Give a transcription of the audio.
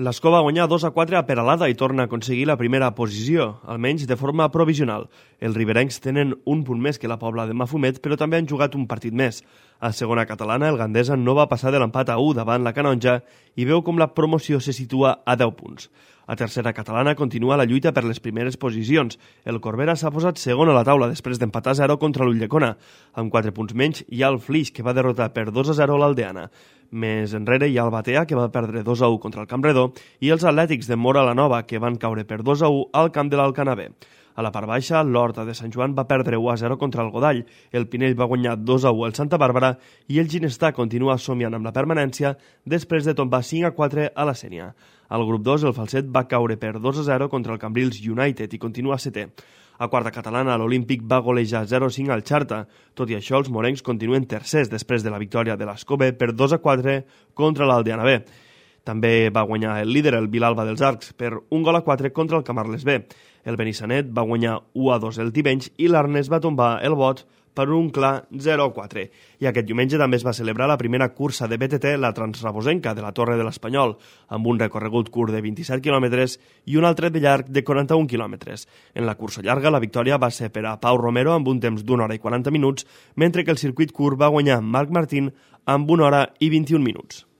L'Escó va guanyar 2-4 a Peralada i torna a aconseguir la primera posició, almenys de forma provisional. Els riberencs tenen un punt més que la Pobla de Mafumet, però també han jugat un partit més. A segona catalana, el Gandesa no va passar de l'empat a 1 davant la Canonja i veu com la promoció se situa a 10 punts. A tercera catalana continua la lluita per les primeres posicions. El Corbera s'ha posat segon a la taula després d'empatar 0 contra l'Ulldecona. Amb 4 punts menys hi ha el Flix, que va derrotar per 2-0 l'Aldeana. Més enrere hi ha el Batea, que va perdre 2-1 contra el Campredó, i els Atlètics de Móra la Nova, que van caure per 2-1 al camp de l'Alcanavè. A la part baixa, l'Horta de Sant Joan va perdre 1-0 contra el Godall, el Pinell va guanyar 2-1 al Santa Bàrbara i el Ginestar continua somiant amb la permanència després de tombar 5-4 a la Sénia. Al grup 2, el Falset va caure per 2-0 contra el Cambrils United i continua setè. A quarta catalana, l'Olímpic va golejar 0-5 al Xarta. Tot i això, els morencs continuen tercers després de la victòria de l'Escobé per 2-4 contra l'Aldeana B. També va guanyar el líder, el Vilalba dels Arcs, per 1-4 contra el Camarles B. El Benissanet va guanyar 1-2 el Tivenys i l'Arnes va tombar el Bot per un clar 0-4. I aquest diumenge també es va celebrar la primera cursa de BTT, la Transrabosenca de la Torre de l'Espanyol, amb un recorregut curt de 27 quilòmetres i un altre de llarg de 41 quilòmetres. En la cursa llarga, la victòria va ser per a Pau Romero amb un temps d'1 hora i 40 minuts, mentre que el circuit curt va guanyar Marc Martín amb 1 hora i 21 minuts.